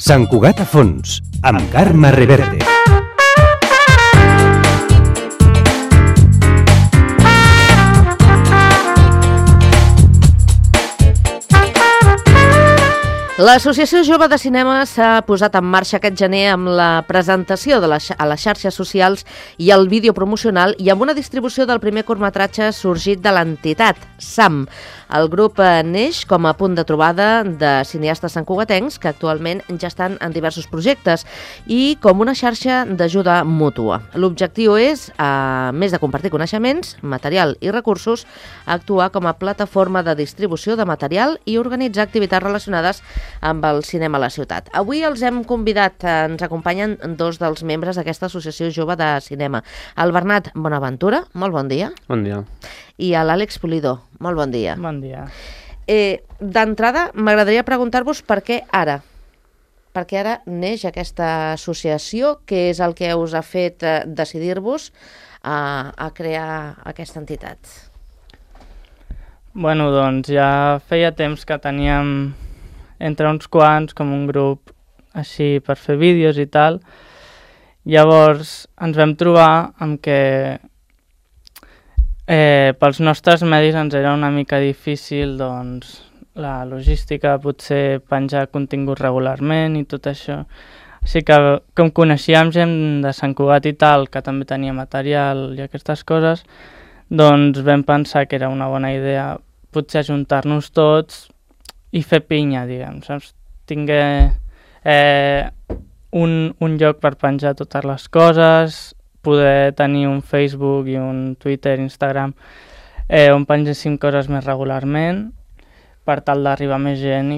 Sant Cugat a fons, amb Carme Reverte. L'Associació Jove de Cinema s'ha posat en marxa aquest gener amb la presentació a les xarxes socials i el vídeo promocional i amb una distribució del primer curtmetratge sorgit de l'entitat, SAM. El grup neix com a punt de trobada de cineastes santcugatencs que actualment ja estan en diversos projectes i com una xarxa d'ajuda mútua. L'objectiu és, a més de compartir coneixements, material i recursos, actuar com a plataforma de distribució de material i organitzar activitats relacionades amb el cinema a la ciutat. Avui els hem convidat, ens acompanyen dos dels membres d'aquesta Associació Jove de Cinema. El Bernat Bonaventura, molt bon dia. Bon dia. I l'Àlex Pulido, molt bon dia. Bon dia. D'entrada, m'agradaria preguntar-vos per què ara? Per què ara neix aquesta associació? Què és el que us ha fet decidir-vos a crear aquesta entitat? Bueno, doncs ja feia temps que teníem entre uns quants com un grup així per fer vídeos i tal. Llavors ens vam trobar amb que pels nostres medis ens era una mica difícil doncs, la logística, potser penjar contingut regularment i tot això. Així que com coneixíem gent de Sant Cugat i tal, que també tenia material i aquestes coses, doncs vam pensar que era una bona idea potser ajuntar-nos tots i fer pinya, diguem, saps? Tingué un lloc per penjar totes les coses, poder tenir un Facebook i un Twitter, Instagram, on pengéssim coses més regularment per tal d'arribar més gent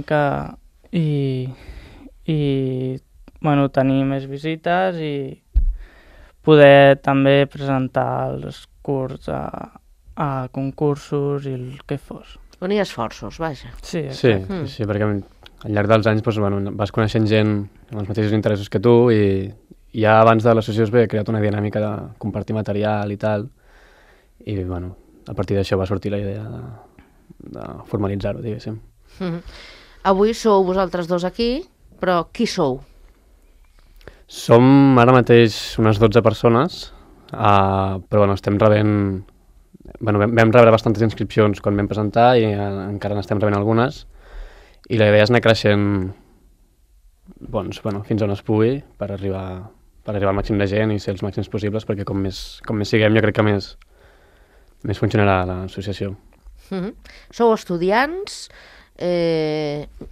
i bueno, tenir més visites i poder també presentar els curts a concursos i el que fos. Unir esforços, vaja. Sí, perquè al llarg dels anys doncs, bueno, vas coneixent gent amb els mateixos interessos que tu i ja abans de l'associació es ve creat una dinàmica de compartir material i tal i bueno, a partir d'això va sortir la idea de formalitzar-ho, diguéssim. Avui sou vosaltres dos aquí, però qui sou? Som ara mateix unes 12 persones, però bueno, estem rebent... Bueno, vam rebre bastantes inscripcions quan vam presentar i encara n'estem rebent algunes i la idea és anar creixent doncs, bueno, fins on es pugui per arribar al màxim de gent i ser els màxims possibles perquè com més siguem jo crec que més funcionarà l'associació. Sou estudiants,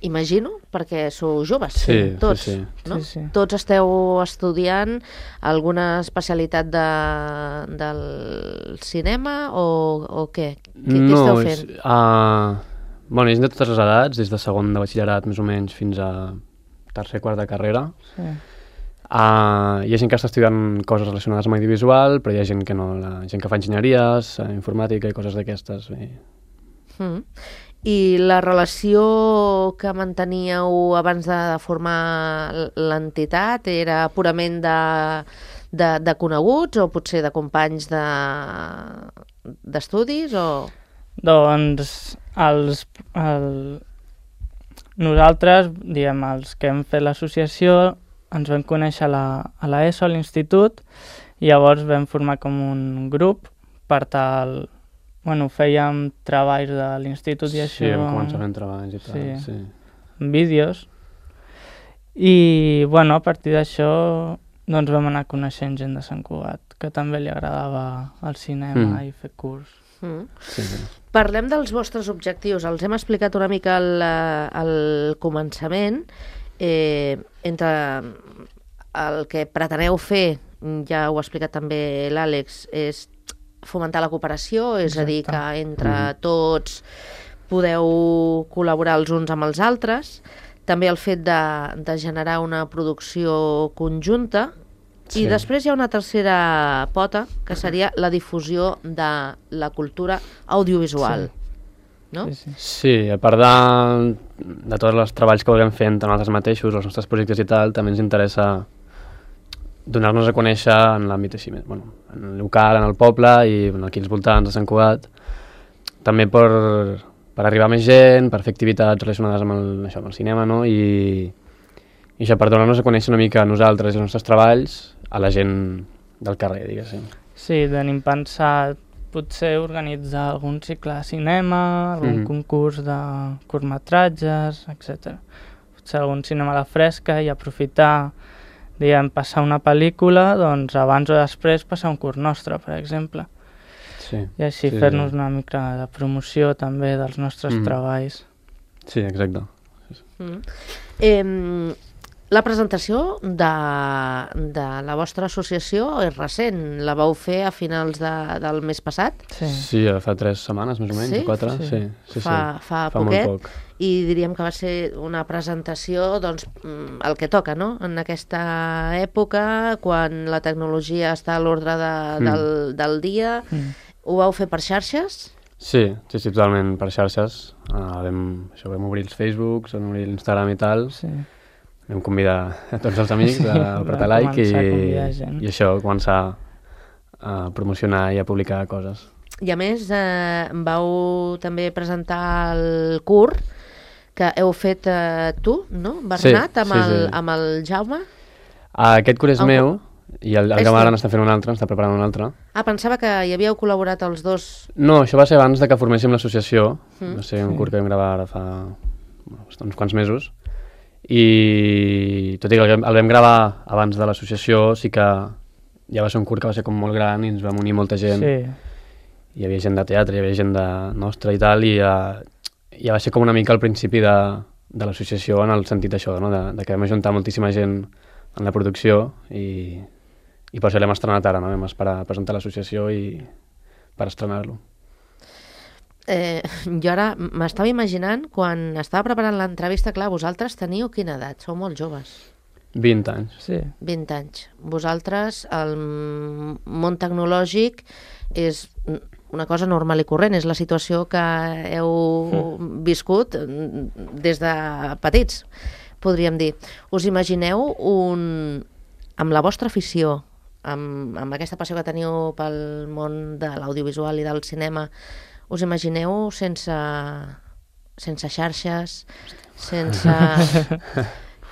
imagino, perquè sou joves, tots, no? Sí. Tots esteu estudiant alguna especialitat del cinema o què? Què esteu fent? Bueno, és de totes les edats, des de segon de batxillerat més o menys fins a tercer, quart de carrera. Sí. Hi ha gent que està estudiant coses relacionades amb audiovisual, però hi ha gent que no, gent que fa enginyeries, informàtica i coses d'aquestes. I la relació que manteníeu abans de formar l'entitat era purament de coneguts o potser de companys d'estudis? Doncs nosaltres, diguem, els que hem fet l'associació, ens vam conèixer a l'ESO, a l'institut, i llavors vam formar com un grup per tal... Bueno, fèiem treballs de l'institut i això... Sí, vam començar fent treballs i tal, sí. Vídeos. I, bueno, a partir d'això, doncs vam anar coneixent gent de Sant Cugat, que també li agradava el cinema i fer curs. Sí. Parlem dels vostres objectius. Els hem explicat una mica al començament. Entre el que preteneu fer, ja ho ha explicat també l'Àlex, és fomentar la cooperació, és a dir, que entre tots podeu col·laborar els uns amb els altres. També el fet de generar una producció conjunta. I després hi ha una tercera pota, que seria la difusió de la cultura audiovisual. No? Sí, a part de tots els treballs que vulguem fer entre nosaltres mateixos, els nostres projectes i tal, també ens interessa donar-nos a conèixer en l'àmbit així, bueno, en el local, en el poble i aquí als voltants de Sant Cugat, també per per arribar a més gent, per fer activitats relacionades amb el cinema, no? I això, per donar-nos a conèixer una mica a nosaltres i els nostres treballs a la gent del carrer, diguéssim. Sí, tenim pensat potser organitzar algun cicle de cinema, algun concurs de curtmetratges, etc. Potser algun cinema a la fresca i aprofitar, diguem, passar una pel·lícula, doncs abans o després passar un curt nostre, per exemple. Sí. I així fer-nos una mica de promoció també dels nostres treballs. Sí, exacte. La presentació de la vostra associació és recent. La vau fer a finals del mes passat? Sí, fa 3 setmanes, més o menys, 4. Sí. Fa poquet. Molt poc. I diríem que va ser una presentació, doncs, el que toca, no? En aquesta època, quan la tecnologia està a l'ordre del dia. Ho vau fer per xarxes? Sí, totalment per xarxes. Vam obrir els Facebooks, vam obrir l'Instagram i tal. Sí. Vam convidar a tots els amics a apretar like i això, començar a promocionar i a publicar coses. I a més, vau també presentar el curt que heu fet tu, no, Bernat, amb el Jaume? Aquest curt és meu i el Jaume ara n'està fent un altre, n'està preparant un altre. Pensava que hi havíeu col·laborat els dos. No, això va ser abans de que forméssim l'associació. Va ser un curt que vam gravar ara fa uns quants mesos. I tot i que el vam gravar abans de l'associació, sí que ja va ser un curt que va ser com molt gran i ens vam unir molta gent. Hi havia gent de teatre, hi havia gent nostra i tal, i ja va ser com una mica al principi de l'associació en el sentit això, no? de que vam ajuntar moltíssima gent en la producció i per això l'hem estrenat ara, no? Vam esperar a presentar l'associació i per estrenar-lo. Jo ara m'estava imaginant, quan estava preparant l'entrevista, clar, vosaltres teniu quina edat? Sou molt joves. 20 anys. Sí. 20 anys. Vosaltres, el món tecnològic és una cosa normal i corrent, és la situació que heu viscut des de petits, podríem dir. Us imagineu amb la vostra afició, amb aquesta passió que teniu pel món de l'audiovisual i del cinema, us imagineu sense xarxes, sense...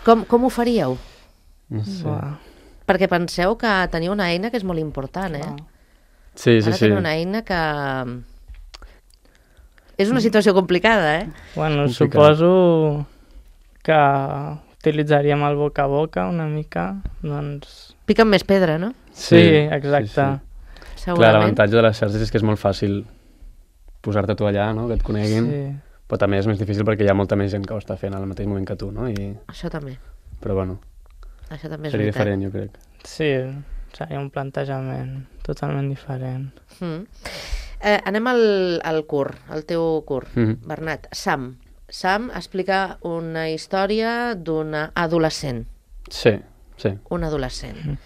Com ho faríeu? No sé. Perquè penseu que teniu una eina que és molt important, Sí. Ara teniu una eina que... És una situació complicada, Bueno, suposo que utilitzaríem el boca a boca una mica, doncs... Piquen més pedra, no? Sí, exacte. Segurament. Clar, l'avantatge de les xarxes és que és molt fàcil posar-te tu allà, no? Que et coneguin, però també és més difícil perquè hi ha molta més gent que ho està fent al mateix moment que tu, no? Això també. Però bueno, això també és seria diferent, jo crec. Sí, seria un plantejament totalment diferent. Anem al curt, al teu curt, Bernat. Sam explica una història d'una adolescent. Sí. Un adolescent.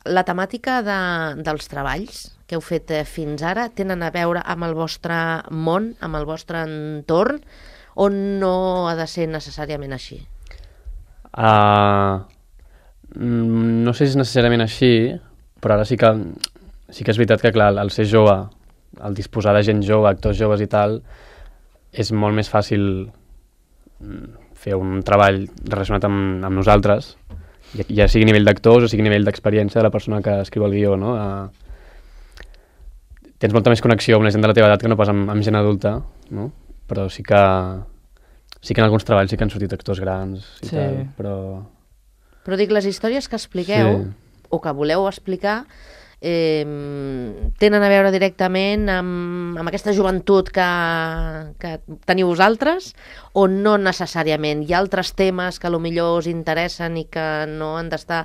La temàtica dels treballs que heu fet fins ara tenen a veure amb el vostre món, amb el vostre entorn, o no ha de ser necessàriament així? No sé si és necessàriament així, però ara sí que és veritat que, clar, al ser jove, al disposar de gent jove, actors joves i tal, és molt més fàcil fer un treball relacionat amb nosaltres, ja sigui a nivell d'actors o sigui a nivell d'experiència de la persona que escriu el guió, no? Tens molta més connexió amb la gent de la teva edat que no pas amb gent adulta, no? Però sí que en alguns treballs sí que han sortit actors grans i tal, però... Però dic, les històries que expliqueu, o que voleu explicar, tenen a veure directament amb aquesta joventut que teniu vosaltres, o no necessàriament? Hi ha altres temes que potser us interessen i que no han d'estar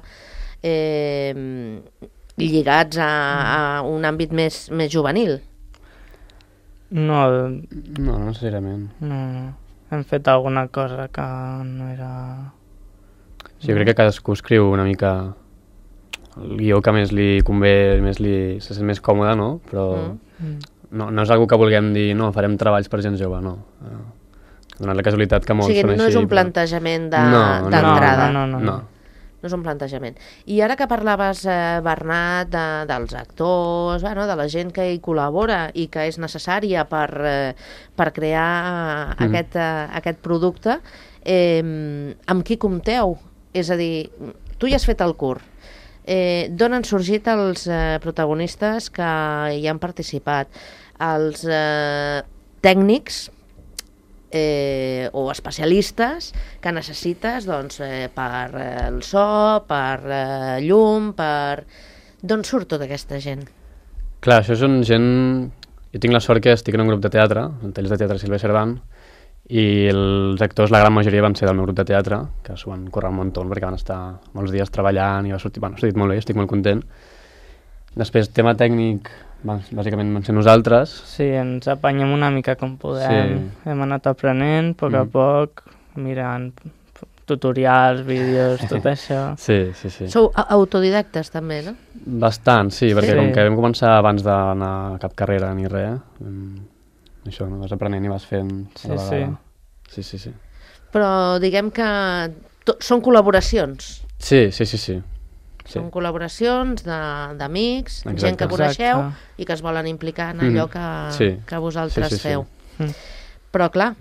lligats a un àmbit més juvenil? No necessàriament. No. Hem fet alguna cosa que no era... Sí, jo crec que cadascú escriu una mica el guió que més li convé, se sent més còmode, no? Però no és algo que vulguem dir, no, farem treballs per gent jove, no. Donant la casualitat que molts són així. No és un plantejament d'entrada. No. No és un plantejament. I ara que parlaves, Bernat, dels actors, bueno, de la gent que hi col·labora i que és necessària per crear aquest producte, amb qui compteu? És a dir, tu ja has fet el curs. D'on han sorgit els protagonistes que hi han participat? Els tècnics o especialistes que necessites per el so, per llum, per... D'on surt tota aquesta gent? Clar, això són gent... Jo tinc la sort que estic en un grup de teatre, el Tallers de Teatre Silvia Cerdán, i els actors, la gran majoria, van ser del meu grup de teatre, que s'ho van córrer un muntó perquè van estar molts dies treballant i va sortir... Bueno, ha sortit molt bé, estic molt content. Després, tema tècnic, bàsicament van ser nosaltres. Sí, ens apanyem una mica com podem. Sí. Hem anat aprenent a poc, mirant tutorials, vídeos, tot això. Sí. Sou autodidactes també, no? Bastant, sí, perquè com que vam començar abans d'anar a cap carrera ni res, això, no? Vas aprenent i vas fent a la vegada. Sí. Però diguem que són col·laboracions. Sí. Són col·laboracions d'amics, gent que coneixeu i que es volen implicar en allò que vosaltres feu. Però clar,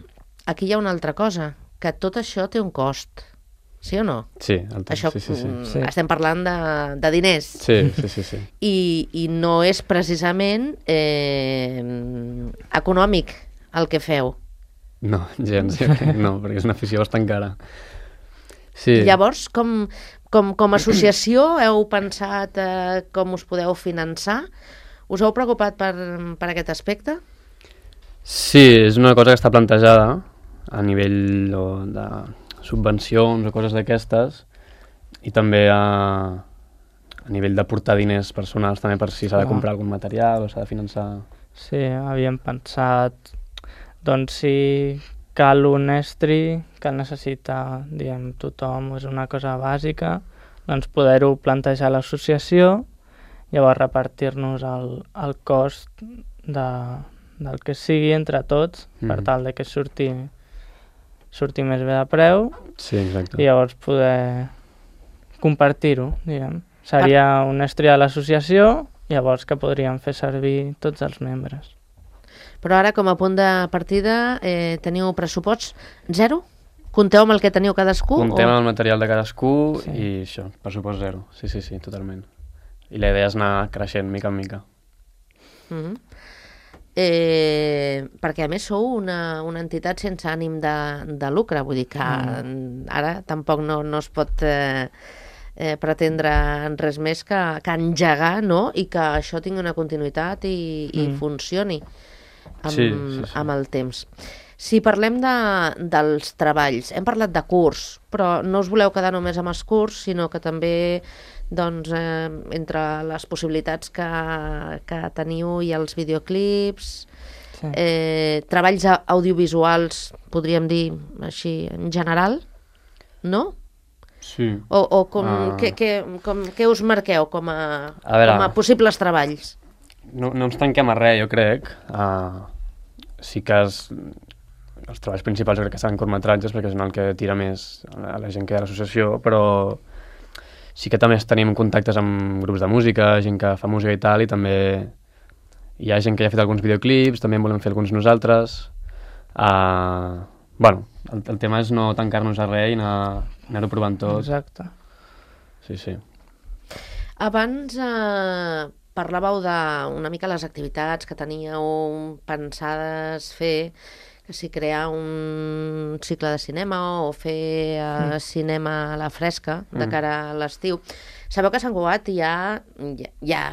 aquí hi ha una altra cosa, que tot això té un cost, sí o no? Sí. Això estem parlant de diners. Sí. I no és precisament econòmic el que feu. No, gens, no, perquè és una afició bastant cara. Sí. Llavors, com a associació heu pensat com us podeu finançar? Us heu preocupat per aquest aspecte? Sí, és una cosa que està plantejada a nivell de subvencions o coses d'aquestes, i també a nivell d'aportar diners personals també per si s'ha de comprar algun material o s'ha de finançar. Sí, havíem pensat, doncs si cal un estri que necessita, diguem, tothom, és una cosa bàsica, doncs poder-ho plantejar a l'associació, llavors repartir-nos el cost del que sigui entre tots, per tal de que surti més bé de preu, i llavors poder compartir-ho, diguem. Seria un estri a l'associació, llavors que podríem fer servir tots els membres. Però ara, com a punt de partida, teniu pressupost zero? Compteu amb el que teniu cadascú? Comptem amb el material de cadascú i això, pressupost zero. Sí, totalment. I la idea és anar creixent mica en mica. Perquè a més sou una entitat sense ànim de lucre, vull dir que ara tampoc no es pot pretendre res més que engegar, no? I que això tingui una continuïtat i funcioni amb el temps. Si parlem dels treballs, hem parlat de curs, però no us voleu quedar només amb els curs, sinó que també entre les possibilitats que teniu i els videoclips, treballs audiovisuals, podríem dir així en general, no? Sí. O què us marqueu com a possibles treballs? No ens tanquem a res, jo crec. Sí que els treballs principals jo crec que seran curtmetratges, perquè és el que tira més a la gent que hi ha a l'associació, però sí que també tenim contactes amb grups de música, gent que fa música i tal, i també hi ha gent que ja ha fet alguns videoclips, també en volem fer alguns nosaltres. Bueno, el tema és no tancar-nos a res i anar-ho provant tot. Exacte. Sí. Abans parlàveu d'una mica les activitats que teníeu pensades fer, que si crear un cicle de cinema o fer cinema a la fresca de cara a l'estiu. Sabeu que a Sant Cugat hi ha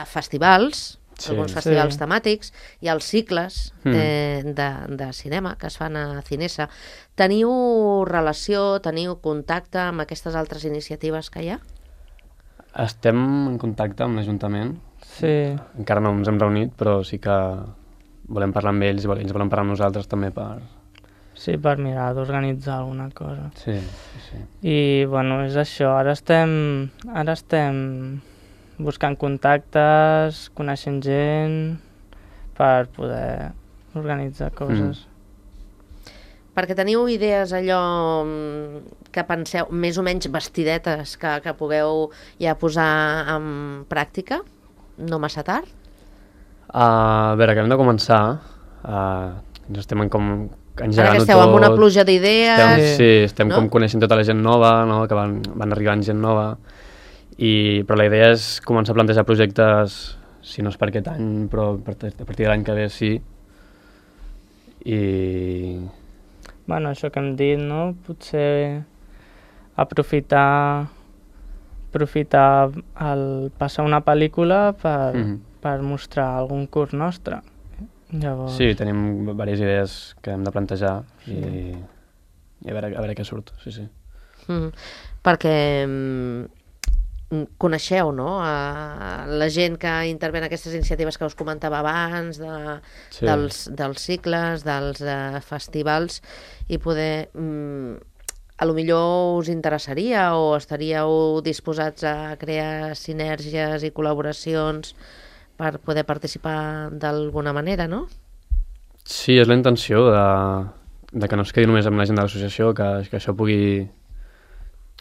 festivals, alguns festivals temàtics, hi ha els cicles de cinema que es fan a Cinesa. Teniu relació, teniu contacte amb aquestes altres iniciatives que hi ha? Estem en contacte amb l'Ajuntament. Sí. Encara no ens hem reunit, però sí que volem parlar amb ells i ells volen parlar amb nosaltres també per... Sí, per mirar d'organitzar alguna cosa. Sí. I, bueno, és això. Ara estem buscant contactes, coneixent gent, per poder organitzar coses. perquè teniu idees allò que penseu, més o menys vestidetes, que pugueu ja posar en pràctica? No massa tard? A veure, acabem de començar. Ens estem engegant-ho tot. Ara que esteu amb una pluja d'idees... Estem com coneixent tota la gent nova, no? Que van arribant gent nova. Però la idea és començar a plantejar projectes, si no és per aquest any, però a partir de l'any que ve sí. Bueno, això que hem dit, no? Potser aprofitar passar una pel·lícula per mostrar algun curs nostre. Llavors... Sí, tenim diverses idees que hem de plantejar i a veure què surt, sí. Perquè coneixeu, no?, la gent que intervé en aquestes iniciatives que us comentava abans, dels cicles, dels festivals, i poder... a lo millor us interessaria o estaríeu disposats a crear sinergies i col·laboracions per poder participar d'alguna manera, no? Sí, és la intenció de que no es quedi només amb la gent de l'associació, que això pugui...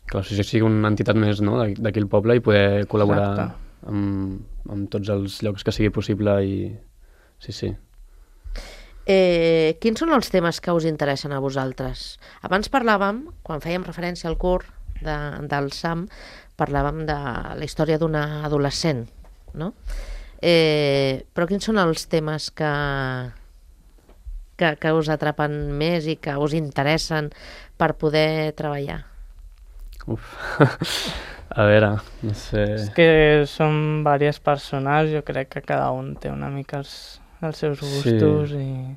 que l'associació sigui una entitat més, no?, d'aquí al poble i poder col·laborar amb tots els llocs que sigui possible i... Sí. Quins són els temes que us interessen a vosaltres? Abans parlàvem, quan fèiem referència al curs del SAM, parlàvem de la història d'una adolescent, no? Però quins són els temes que us atrapen més i que us interessen per poder treballar? A veure, no sé... És que són diverses persones, jo crec que cada un té una mica els seus gustos i...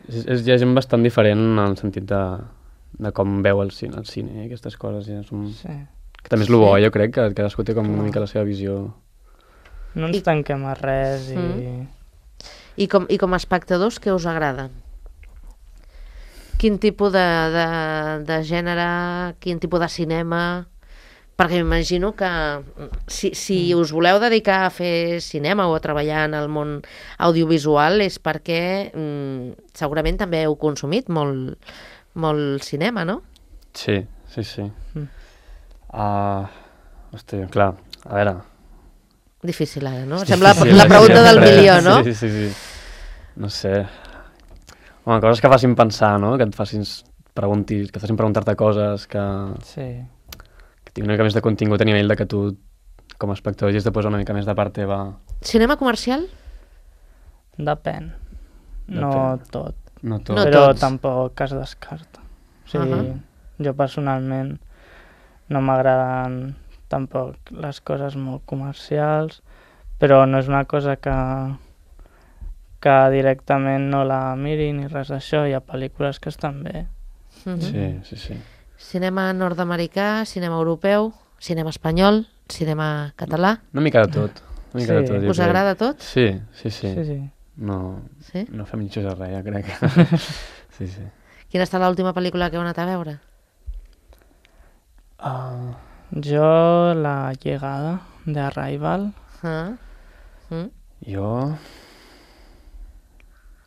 Hi ha gent bastant diferent en el sentit de com veu el cine i aquestes coses. Que també és el bo, jo crec, que cadascú té com una mica la seva visió. No ens tanquem a res I com a espectadors, què us agrada? Quin tipus de gènere, quin tipus de cinema... Perquè m'imagino que si us voleu dedicar a fer cinema o a treballar en el món audiovisual és perquè segurament també heu consumit molt cinema, no? Sí. Hòstia, clar, a veure... Difícil ara, no? Sembla la pregunta del milió, no? Sí. No sé. Home, coses que facin pensar, no? Que et facin preguntar-te coses que... Sí. Una mica més de contingut a nivell de que tu, com a espectador, hagis de posar una mica més de part teva. Cinema comercial? Depèn. No tot. Però tampoc es descarta. O sigui, jo personalment no m'agraden tampoc les coses molt comercials, però no és una cosa que directament no la miri ni res d'això. Hi ha pel·lícules que estan bé. Sí. Cinema nord-americà, cinema europeu, cinema espanyol, cinema català... Una mica de tot. Us agrada tot? Sí. No fem mitjos a res, ja crec. Sí. Quina ha estat l'última pel·lícula que heu anat a veure? Jo, La llegada de Arrival. Jo...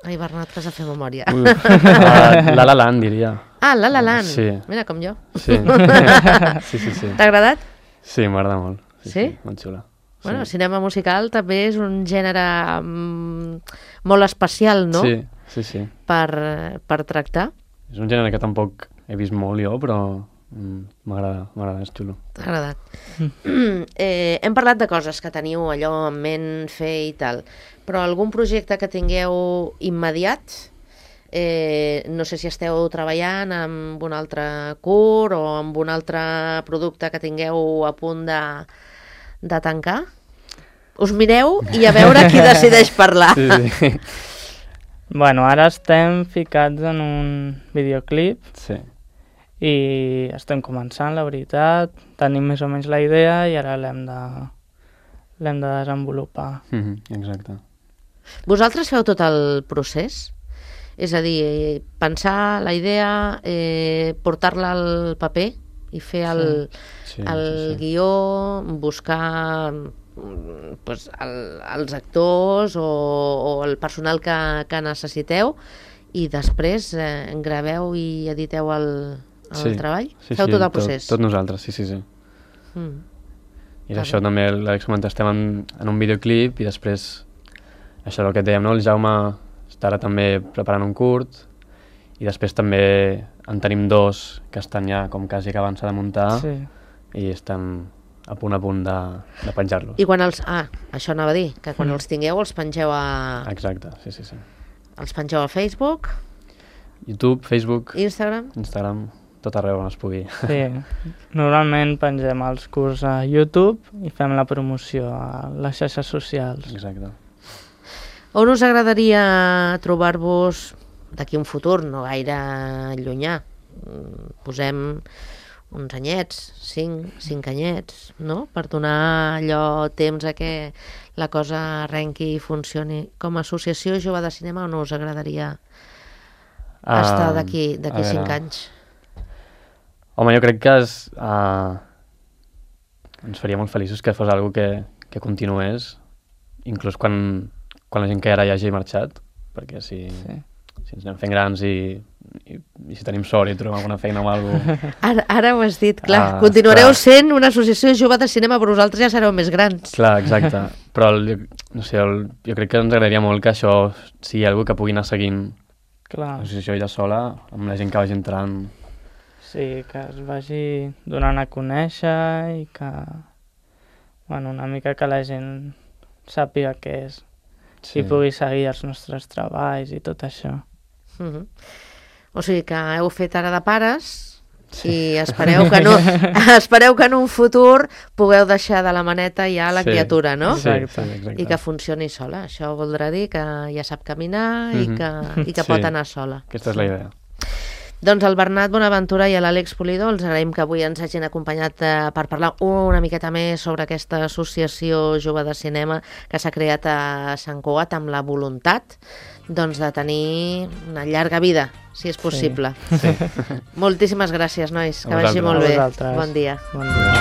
Ai, Bernat, que has de fer memòria. La La Land, diria. La La Land. Sí. Mira, com jo. Sí. T'ha agradat? Sí, m'agrada molt. Sí? Molt xula. Bueno, cinema musical també és un gènere molt especial, no? Sí. Per tractar. És un gènere que tampoc he vist molt jo, però m'agrada, és xulo. T'ha agradat. Hem parlat de coses que teniu allò en ment fer i tal, però algun projecte que tingueu immediat, no sé si esteu treballant amb un altre curs o amb un altre producte que tingueu a punt de tancar? Us mireu i a veure qui decideix parlar. Sí. Bueno, ara estem ficats en un videoclip. Sí. I estem començant, la veritat, tenim més o menys la idea i ara l'hem de desenvolupar. Exacte. Vosaltres feu tot el procés? És a dir, pensar la idea, portar-la al paper i fer el guió, buscar els actors o el personal que necessiteu i després graveu i editeu el treball? Sí, Feu tot el procés? Tot nosaltres, sí. I això també, l'Àlex comenta, estem en un videoclip i després, això és el que dèiem, no? El Jaume està ara també preparant un curt i després també en tenim 2 que estan ja com quasi acabant de muntar i estan a punt de penjar-los. I quan els... això anava a dir, que quan els tingueu els pengeu a... Exacte, sí. Els pengeu a Facebook? YouTube, Facebook, Instagram, tot arreu on es pugui. Sí, normalment pengem els curts a YouTube i fem la promoció a les xarxes socials. Exacte. On us agradaria trobar-vos d'aquí un futur, no gaire llunyà? Posem uns anyets, 5 anyets, no? Per donar allò temps a que la cosa arrenqui i funcioni. Com a associació jove de cinema, on us agradaria estar d'aquí 5 anys? Home, jo crec que ens faria molt feliços que fos algo que continués, inclús quan la gent que ara ja hagi marxat, perquè si ens anem fent grans i si tenim sort i trobem alguna feina o alguna cosa... Ara ho has dit, clar. Continuareu sent una associació jove de cinema, però vosaltres ja sereu més grans. Clar, exacte. Però jo crec que ens agradaria molt que això sigui algo que pugui anar seguint l'associació ella sola, amb la gent que vagi entrant. Sí, que es vagi donant a conèixer i que... una mica que la gent sàpiga què és i pugui seguir els nostres treballs i tot això. O sigui que heu fet ara de pares i espereu que en un futur pugueu deixar de la maneta ja la criatura, no? Sí, exacte. I que funcioni sola. Això voldrà dir que ja sap caminar i que pot anar sola. Aquesta és la idea. Doncs al Bernat Bonaventura i a l'Àlex Pulido els agraïm que avui ens hagin acompanyat per parlar una miqueta més sobre aquesta associació jove de cinema que s'ha creat a Sant Cugat amb la voluntat de tenir una llarga vida, si és possible. Sí. Moltíssimes gràcies, nois. Que vagi molt bé. Bon dia. Bon dia.